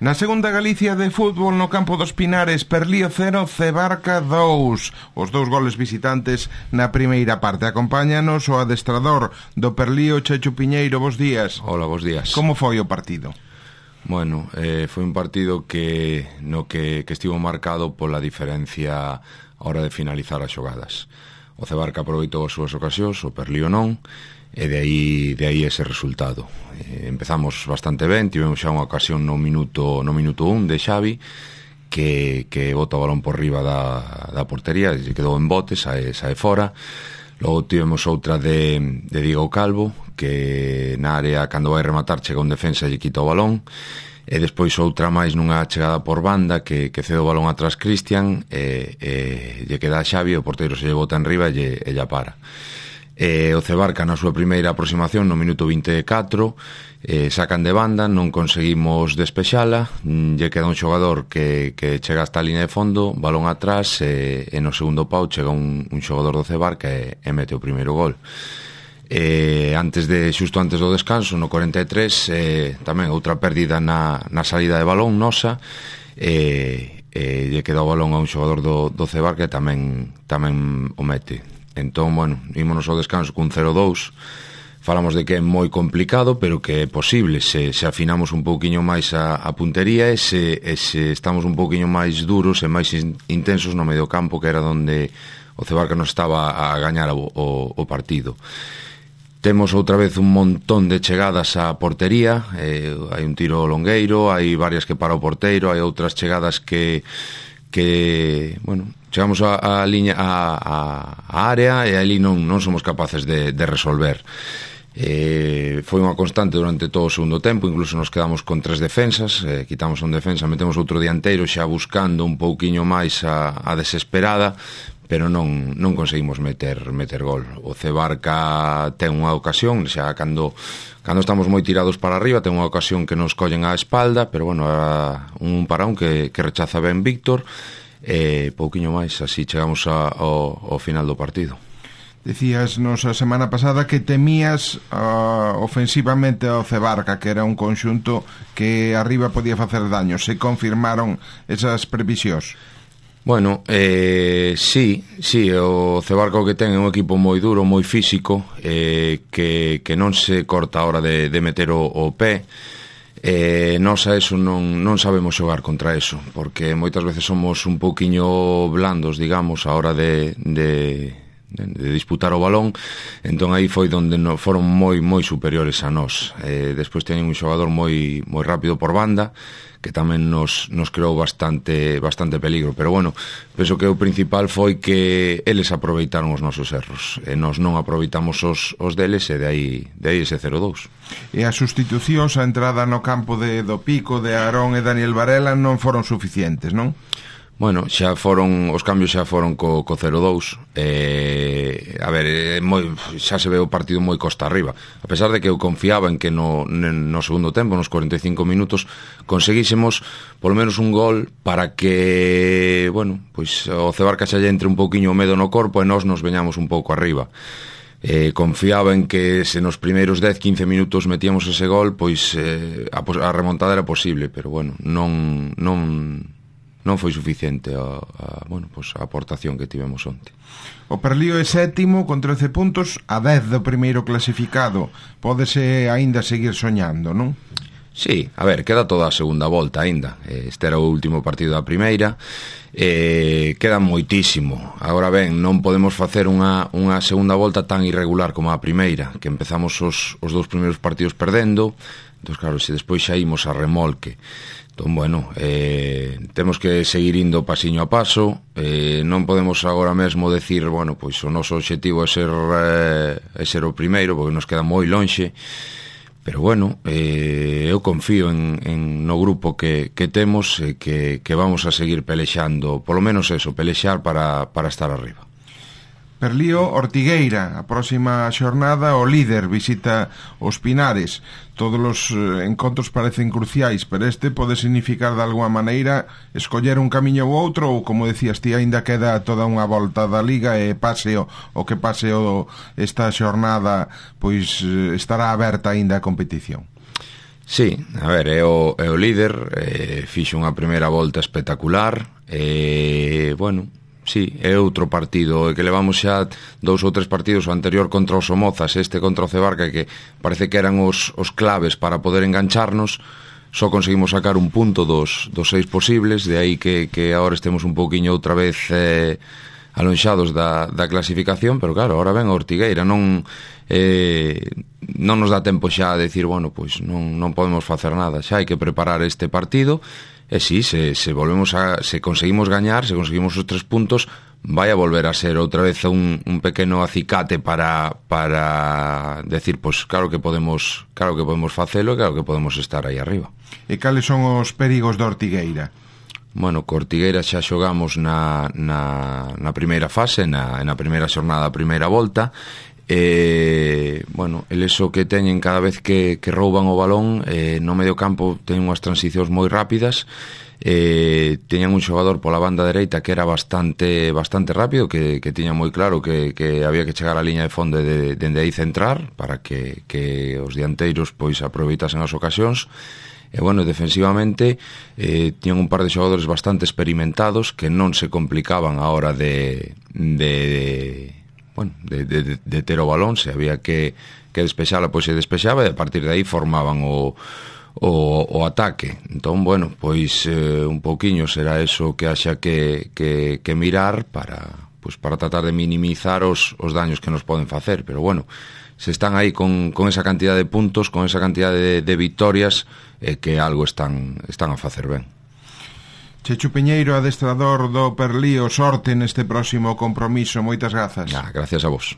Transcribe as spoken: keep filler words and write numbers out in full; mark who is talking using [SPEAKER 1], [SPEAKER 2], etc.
[SPEAKER 1] Na segunda Galicia de fútbol no campo dos Pinares, Perlío cero, Cebarca dous. Os dous goles visitantes na primeira parte. Acompáñanos o adestrador do Perlío, Checho Piñeiro. Bos días.
[SPEAKER 2] Hola, bos días.
[SPEAKER 1] Como foi o partido?
[SPEAKER 2] Bueno, eh, foi un partido que no que, que estivo marcado pola diferencia a hora de finalizar as xogadas. O Cebarca aproveitou as súas ocasións, o Perlío non, e de aí, de aí ese resultado. Eh, empezamos bastante ben, tivemos xa unha ocasión no minuto no minuto un de Xavi, que, que bota o balón por riba da, da portería, e quedou en bote, sae, sae fora. Logo tivemos outra de, de Diego Calvo, que na área, cando vai rematar, chega un defensa e lle quita o balón. E despois outra máis nunha chegada por banda, que, que cede o balón atrás Cristian, e, e lle queda a Xavi, o porteiro se lle bota en riba e lle, e lle para. E o Cebarca na súa primeira aproximación no minuto vinte e catro, eh, sacan de banda, non conseguimos despexala, lle queda un xogador que, que chega hasta a línea de fondo, balón atrás, e, e no segundo pau chega un, un xogador do Cebarca e, e mete o primeiro gol. E antes de, xusto antes do descanso, no corenta e tres, eh, tamén outra pérdida na, na salida de balón nosa, e, e lle queda o balón a un xogador do, do Cebarca e tamén, tamén o mete. Entón, bueno, ímonos ao descanso cun cero dous. Falamos de que é moi complicado, pero que é posible se, se afinamos un pouquiño máis a, a puntería e se, e se estamos un pouquiño máis duros e máis intensos no medio campo, que era onde o Cebarca nos estaba a gañar o, o, o partido. Temos outra vez un montón de chegadas á portería, eh, hai un tiro longueiro, hai varias que para o porteiro, hai outras chegadas que que, bueno, chegamos a, a liña a, a, a área e ali non, non somos capaces de, de resolver. Eh, foi unha constante durante todo o segundo tempo, incluso nos quedamos con tres defensas, eh, quitamos un defensa, metemos outro dianteiro xa buscando un pouquiño máis a, a desesperada, pero non, non conseguimos meter, meter gol. O Cebarca ten unha ocasión, xa cando, cando estamos moi tirados para arriba, ten unha ocasión que nos collen á espalda, pero bueno, era un para un que, que rechaza ben Víctor, e pouquiño máis, así chegamos a, ao, ao final do partido.
[SPEAKER 1] Decías nos a semana pasada que temías uh, ofensivamente ao Cebarca, que era un conxunto que arriba podía facer daño. Se confirmaron esas previsións?
[SPEAKER 2] Bueno, eh, sí, sí, o Cebarca o que ten é un equipo moi duro, moi físico, eh, que, que non se corta a hora de, de meter o, o pé. Eh, nós a eso non, non sabemos xogar contra eso, porque moitas veces somos un pouquiño blandos, digamos, a hora de, de, de, de disputar o balón. Entón aí foi onde no, foron moi moi superiores a nós. Eh, despois teñen un xogador moi moi rápido por banda, que tamén nos, nos creou bastante bastante peligro, pero bueno, penso que o principal foi que eles aproveitaron os nosos erros e nós non aproveitamos os, os deles, e de aí, de aí ese cero dous.
[SPEAKER 1] E as sustitucións, a entrada no campo de do Pico, de Aarón e Daniel Varela non foron suficientes, non?
[SPEAKER 2] Bueno, xa foron, os cambios xa foron co, co cero dous. eh, A ver, eh, moi, xa se ve o partido moi costa arriba. A pesar de que eu confiaba en que no, no segundo tempo, nos cuarenta e cinco minutos, conseguísemos polo menos un gol para que, bueno, pois o Cebarca xa lle entre un pouquiño o medo no corpo e nós nos veñamos un pouco arriba. Eh, confiaba en que se nos primeiros dez a quince minutos metíamos ese gol, pois eh, a, a remontada era posible, pero bueno, non... non non foi suficiente a, a, bueno, pues a aportación que tivemos onte.
[SPEAKER 1] O Perlío é sétimo con trece puntos, a dez do primeiro clasificado. Pódese aínda seguir soñando, non?
[SPEAKER 2] Sí, a ver, queda toda a segunda volta aínda. Este era o último partido da primeira. Eh, queda moitísimo. Agora ben, non podemos facer unha, unha segunda volta tan irregular como a primeira, que empezamos os, os dous primeiros partidos perdendo. Entón, claro, se despois xa imos a remolque. Entón, bueno, eh, temos que seguir indo pasiño a paso. eh, Non podemos agora mesmo decir, bueno, pois o noso objetivo é ser, eh, é ser o primeiro, porque nos queda moi lonxe. Pero bueno, eh, eu confío en, en no grupo que, que temos, e que, que vamos a seguir pelexando, polo menos eso, pelexar para, para estar arriba.
[SPEAKER 1] Perlío, Ortigueira, a próxima xornada o líder visita os Pinares. Todos os eh, encontros parecen cruciais, pero este pode significar de alguma maneira escoller un camiño ou outro, ou como decías ti, aínda queda toda unha volta da Liga e pase o, o que pase o, esta xornada, pois eh, estará aberta aínda a competición.
[SPEAKER 2] Sí, a ver, é o, é o líder, eh, fixo unha primeira volta espectacular, e, eh, bueno, sí, é outro partido, que levamos xa dous ou tres partidos, o anterior contra os Somozas, este contra o Cebarca, que parece que eran os, os claves para poder engancharnos. Só conseguimos sacar un punto dos, dos seis posibles, de aí que, que agora estemos un pouquiño outra vez eh, alonxados da, da clasificación, pero claro, ahora ven a Ortigueira, non eh, non nos dá tempo xa a decir, bueno, pois non, non podemos facer nada, xa hai que preparar este partido, e si, se, se volvemos a, se conseguimos gañar, se conseguimos os tres puntos, vai a volver a ser outra vez un, un pequeno acicate para, para decir, pois claro que podemos, claro que podemos facelo, claro que podemos estar aí arriba.
[SPEAKER 1] E cales son os perigos da Ortigueira?
[SPEAKER 2] Bueno, co Ortigueira xa xogamos na, na, na primeira fase, na, na primeira xornada, a primeira volta, e, bueno, eles o que teñen cada vez que, que rouban o balón, eh, no medio campo teñen unhas transicións moi rápidas, eh, teñan un xogador pola banda dereita que era bastante bastante rápido, que, que tiña moi claro que, que había que chegar á liña de fondo de, dende aí centrar, para que, que os dianteiros pois aproveitasen as ocasións. E, bueno, defensivamente eh, tiñan un par de xogadores bastante experimentados que non se complicaban a hora de, de, de bueno, de, de, de ter o balón. Se había que, que despexala, pois se despexaba, e a partir de aí formaban o, o, o ataque. Entón, bueno, pois eh, un pouquiño será eso que haxa que, que, que mirar para, pois, para tratar de minimizar os, os daños que nos poden facer, pero bueno, se están aí con, con esa cantidad de puntos, con esa cantidad de, de victorias, eh, que algo están, están a facer ben.
[SPEAKER 1] Chechu Piñeiro, adestrador do Perlío, sorte neste próximo compromiso. Moitas grazas.
[SPEAKER 2] Ah, gracias a vos.